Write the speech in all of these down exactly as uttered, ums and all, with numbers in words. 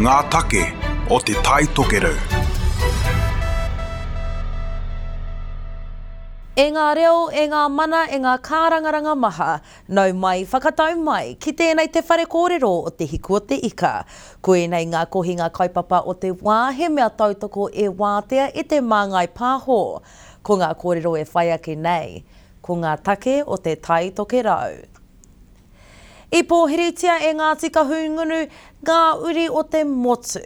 Ngā take o Te Tai Tokerau. E ngā reo, e ngā mana, e ngā kārangaranga maha, nau mai, whakatau mai, ki tēnei te whare kōrero o Te Hiku o Te Ika. Ko ēnei ngā kohinga kaupapa o te wā he mea tautoko e wātea e Te Māngai Pāho. Ko ngā kōrero e whai ake nei, ko ngā take o Te Tai Tokerau. I pōhiritia e Ngāti Kahungunu ngā uri o te motu,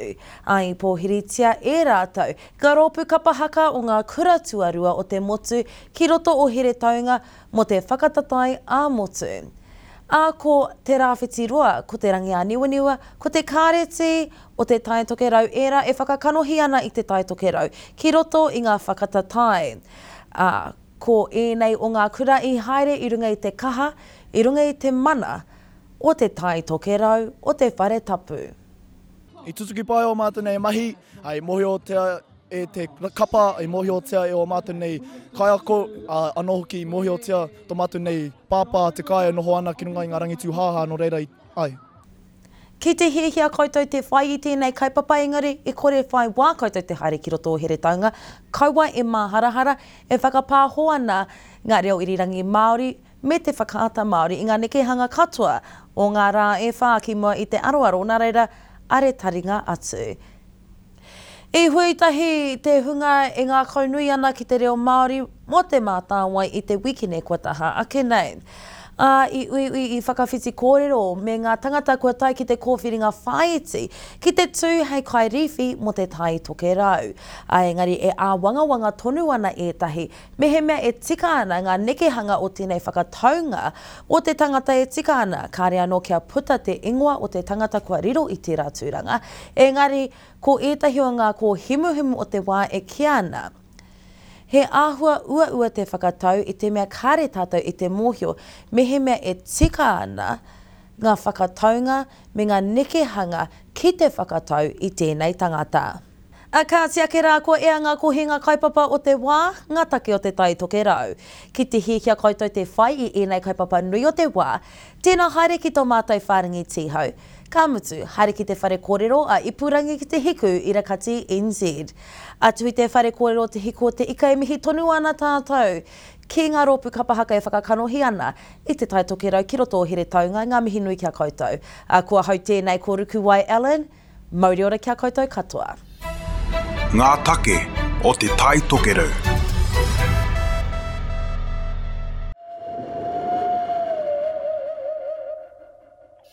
ā, i pōhiritia e rātou ngā rōpū kapa haka o ngā kura tuarua o te motu ki roto o Heretaunga mō te whakatatae ā-motu. Ā, ko Te Rāwhiti Roa, ko Te Rangiāniwaniwa, ko Te Kāreti o Te Tai Tokerau ērā e whakakanohi ana i Te Tai Tokerau ki roto i ngā whakatatae. Ā, ko ēnei o ngā kura i haere i runga i te kaha, i runga i te mana o Te Tai Tokerau, o Te Whare Tapu. I tutuki pai ō mātou nei mahi, i mōhiotia e te kapa, i mōhiotia e ō mātou nei kaiako, anō hoki i mōhiotia tō mātou nei pāpā te kai e noho ana ki runga i ngā rangi tūhāhā, nō reira i, ai. Ki te hiahia koutou te whai i tēnei kaupapa engari e kore whai wā koutou te haere ki roto o Heretaunga, kaua e māharahara, e whakapāho ana ngā reo irirangi Māori me te whakaata Māori i ngā nekehanga katoa o ngā rā e whā ki mua i te aroaro, nā reira, are taringa atu. I hui tahi te hunga e ngākaunui ana ki te reo Māori mō Te Mātāwai i te wikene kua taha ake nei. Ā, i uiui, i whakawhiti kōrero me ngā tangata kua tae ki te kōwhiringa whāiti ki te tū hei kairīwhi mō Te Tai Tokerau. Ā, engari e āwangawanga tonu ana ētahi mehemea e tika ana ngā nekehanga o tēnei whakataunga o te tangata e tika ana, kāre anō kia puta te ingoa o te tangata kua riro i tērā tūranga, engari ko ētahi o ngā kōhimuhimu o te wā e kīa ana, he āhua uaua te whakatau i te mea kāre tātou i te mōhio mehemea e tika ana ngā whakataunga me ngā nekehanga ki te whakatau i tēnei tangata. Ā kāti ake rā kua ea ngā kohinga kaupapa o te wā, ngā take o Te Tai Tokerau. Ki te hiahia koutou te whai i ēnei kaupapa nui o te wā, tēnā haere ki tō mātou whārangi tīhau. Ka mutu, haere ki te whare kōrero a Ipurangi ki te Hiku i Rakati N Z. Atu i te whare kōrero Te Hiku o Te Ika e mihi tonu ana tātou ki ngā rōpū kapa haka e whakakanohi ana i Te Tai Tokerau ki roto o Heretaunga, ngā mihi nui ki a koutou. Ā, ko ahau tēnei ko Rukuwai Allen, mauri ora ki a koutou katoa. Ngā take o Te Tai Tokerau.